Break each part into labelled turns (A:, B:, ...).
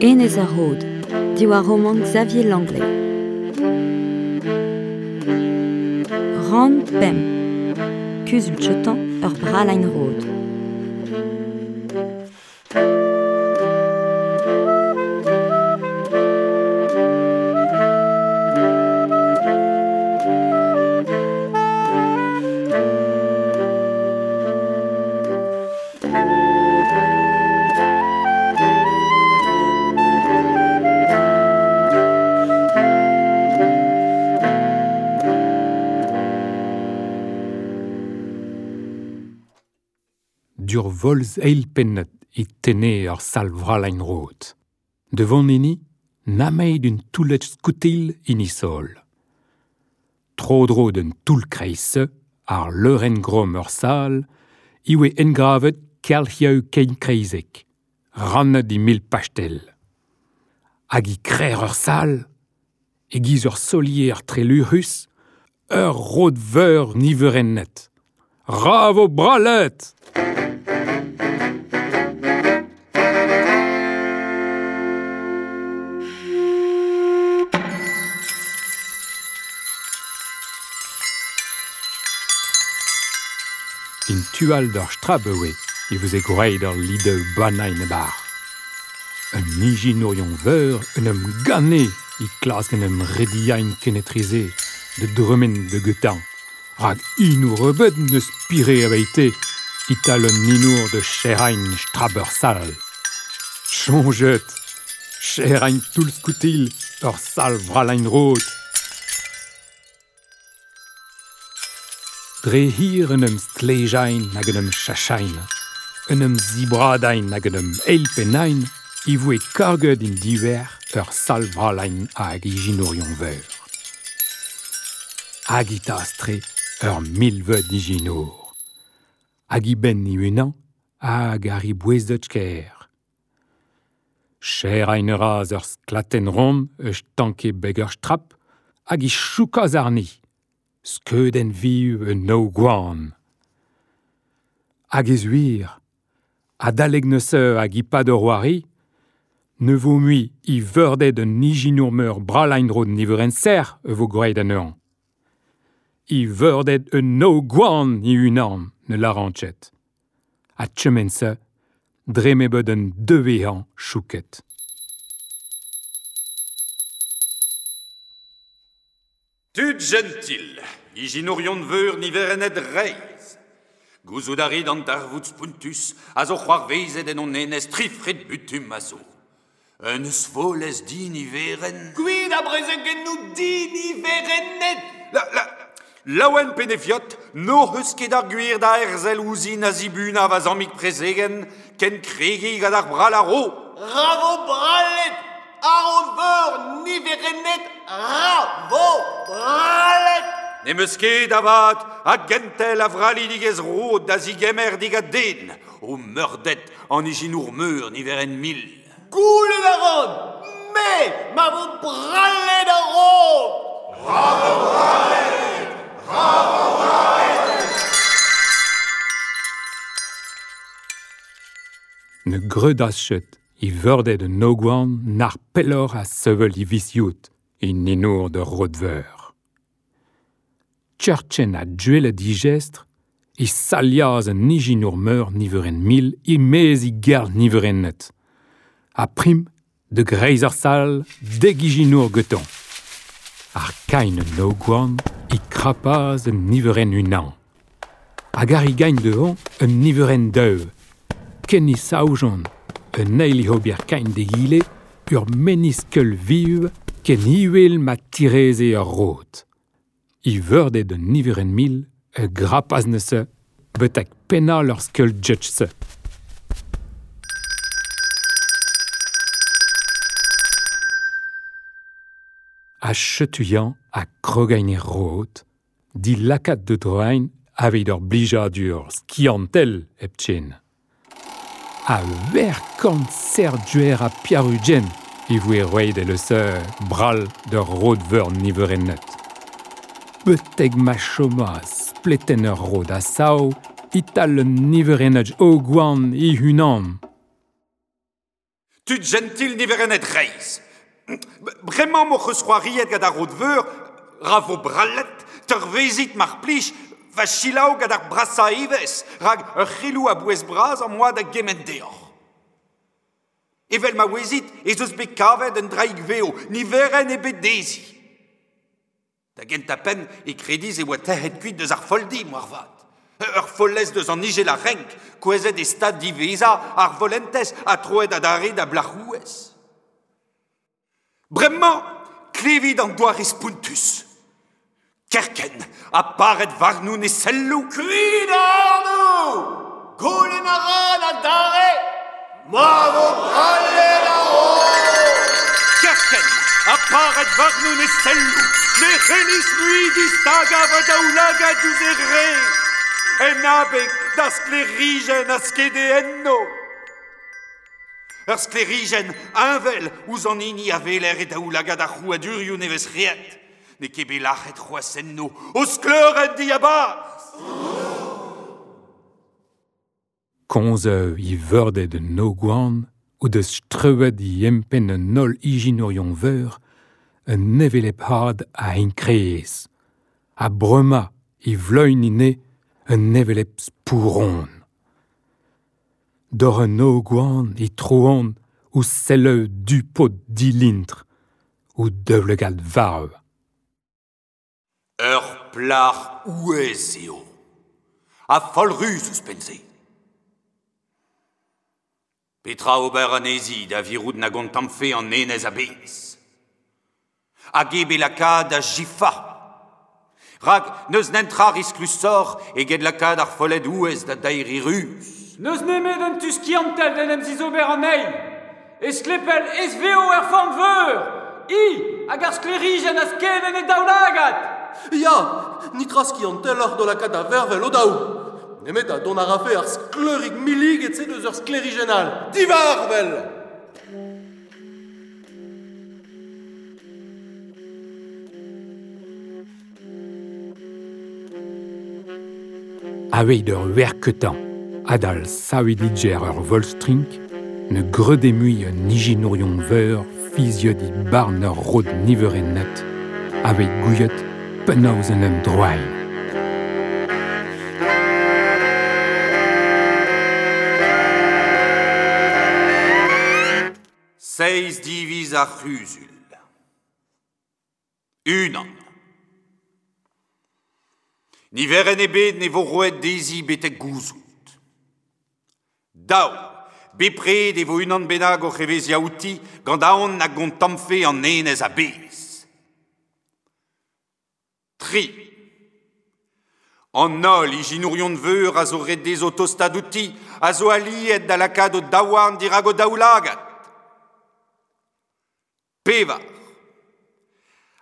A: Enez ar Rod, diwar romant Xavier Langlais. Rann pemp. Kuzul Chetan ur bralain rod.
B: Dur volz eilpennet e tenne ur sal vralain rod. Devant hini, nameid un toulet skoutil hini sol. Tro-dro d'un toull kreiz ar leurenn grom ur sal, iwe engravet kelc'hiaou kein kreizek, rannet i mil pastel. Hag i krer ur sal, e giz ur solier trelurus, ur rod veur niverennet. Ravo bralet! In tual d'ur strabewe e veze gwraet ur lideu banain bar. Un ijinourion veur un em ganne e klask en em rediain kenetrize de dremen de getan. Rag inour rebet neus pire aveite ital un inour de cherain straber sal. Chonjet! Cherain toull skoutil ur sal vralain rod. Dre hir un em stlejain hag un em chachain, un em zibradain hag un em eilpennain, i voe karget in diver ur sal vralain hag ijinourion veur. Hag i tastre ur milveud ijinour. Hag i ben i unan hag ar i bouezdet ker. Cher ein raz ur sklaten ron eus tanke beg ur strap hag i choukaz arni. Skeuden viu un no gwan. Hag ez wir, adaleg neuse hag i pad ur oari, ne vo mui i veurdet un ijinour meur bralain rod niveren ser e vo gwraet an ur. I veurdet un no gwan i unan ne laranchet. A tchemen-se, dre me bet un devehan chouket.
C: Tud gentil, ijinourion veur niverennet reiz. Gouzout a rit an darvoud spuntus a zo c'hoarvezet en hon enez trifret butum a zo. Un eus volez di niveren...
D: Gwid a brezegennou di niverennet!
C: La, la, laouen penefiot, no eus ket ar gwir da erzel ouzin a zibuna va zammig prezegen, ken kregi gant ar bral a ro.
D: Ravo bralet! Ar veur niverennet! Ravo bralet!
C: Ne meus ket avat a gentel a vralidigez rod da zigemer digat den, o meurdet an ijinour meur niveren mil.
D: Goulet a ran, me ma vo bralet a rod!
C: Bravo bralet! Bravo bralet!
B: Ne greudaz chet i veurdet un ogwan nar pellor a sevel i visiout i ninour de rodveur. Tcherchen a duelet digestr, i saliaz un ijinour meur niveren mil i mez i gerl niveren net. A prim, de greiz ar sal, deg ijinour geton. Ar kain un ogwan i krapaz un niveren unan. Hag ar i gain dehon un niveren deu. Ken i saoujon, un eil i hobier kain de gile, ur meniskeul viv ken iwel ma tireze ur rod. I veurdet un niveren mil, e grapaz neuse, betek penal ur skeul judge-se. A chetuian a krogain e rod, di lakat de droain aveit ur blijadur skiantel hepchen. A wer kant ser duer a piarugen e voe roet e le seur bral d'ur rod veur niverennet. Beteg ma chomaz spleten ur rod a sao, ital un niverennet o gwan i hunan.
C: Tud gentil niverennet reizh. Bremañ m'hoc'h eus c'hoariet gant ar rod veur, ra vo brallet, teurvezit mar plij, va selaou gant ar brasañ evezh, rak ur c'heloù a-bouez bras am boa da gemenn deoc'h. Evel ma ouezit ez eus bet kavet un draig vev, niverenn ebet dezhi. Da gentañ-penn e kredis e oa tec'het kuit eus ar folldi, moarvat. Ur follez deus an ijel a renk, kouezhet e stad diwezhañ ar follentez ha troet adarre da blac'houez. Bremañ, klevit an doare spontus. Kerkent ha paret warnoun e selloù.
D: Kuit ac'hanoù! Goulenn a ran adarre ma vo brallet ar roz!
C: Kerkent ha paret warnoun e selloù, ne c'hellis mui distagañ va daoulagad diouzh e re. En abeg da sklêrijenn a skede enno. Ur sklêrijenn heñvel ouzh an hini a weler e daoulagad ar c'hrouadurioù nevez-c'hreet. N'eo ket bet lac'het c'hoazh enno o skleurenn diabarzh.
B: Komz e veurded un ogwan o deus strewet e empenn an holl ijinourion veur un hevelep had a enkrez. Ha bremañ e vleugn ine un hevelep spouron. Doc'h un ogwan e troan ouzh selloù du-pod dilintr, o daoulagad varv.
C: Ur plac'h ouez eo, ha foll-ruz ouzhpenn-se. Petra ober anezhi da virout na gontammfe an enez a-bezh? Hag eo bet lakaat da jifañ? Rak n'eus netra risklusoc'h eget lakaat ar folled ouez da daeriñ ruz.
E: N'eus nemet un tu skiantel d'en em zizober anezhi. E stlepel ez-vev er forn veur, hi hag ar sklêrijenn a sked en he daoulagad.
F: Ya, netra skianteloc'h d'o lakaat da vervel o-daou. Nemet ha dont a rafe ar skleurig milliget-se deus ur sklêrijenn all. Divarvel!
B: Aveit ur werketañ adal savidiger ur volstrink ne greude mui un ijinourion veur fiziet e barn ur rod niverennet aveit gouiet penaos en em droain.
C: Seizh diviz ar c'huzul. Unan. Niverenn ebet ne vo roet dezhi betek gouzout. Daou. Bepred e vo unan bennak oc'h evezhiañ outi gant aon na gontammfe an enez a-bezh. Tri. An holl ijinourion veur a zo ret dezho tostaat outi a zo aliet da lakaat o daouarn dirak o daoulagad. Pevar.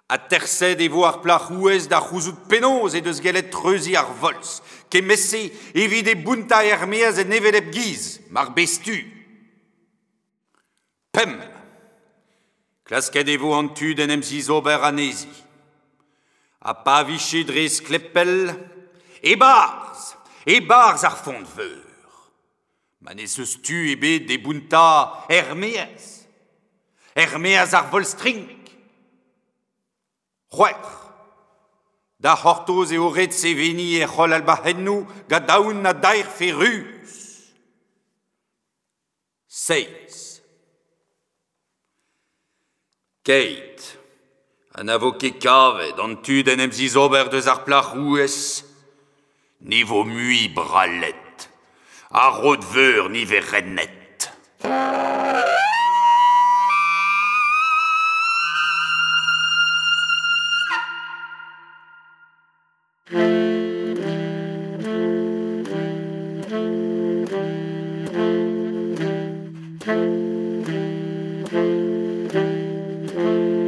C: Aterset e vo ar plac'h ouez da c'houzout penaos he deus gellet treuziñ ar volz, kement-se evit e bountañ er-maez en hevelep giz, mar bez tu. Pemp. Klasket e vo an tu d'en em zizober anezhi. Ha pa vije dre sklepel, e-barzh, e-barzh ar font veur. Ma n'ez eus tu ebet d'e bountañ er-maez. Er-maez ar volz-strink. C'hwec'h. Da c'hortoz eo ret seveniñ e c'holl albac'hennoù gant aon na daerfe ruz. Seizh. Keit ha na vo ket kavet an tu d'en em zizober deus ar plac'h rouez, ne vo mui brallet, ar rod veur niverennet.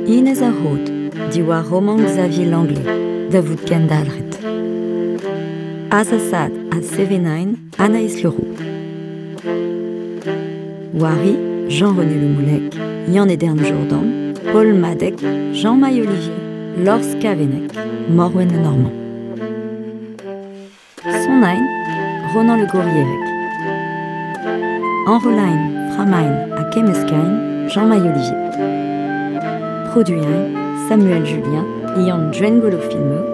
A: Inez ar Rod, diwar romant Xavier Langlais, da vout kendalc'het. Azasaat ha sevenain Anaïs Leroux. Wari, Jean-René Le Moulec, Yann-Edern Jourdan, Paul Madec, Jean-Maï Olivier, Lors Kavenec, Morwen Le Normand. Sonain, Ronan Le Gourrierec. Enrolain, Frammain ha kemmeskain Jean-Maï Olivier. Produiñ Samuel Julien, Yann Djengolo Filmeux,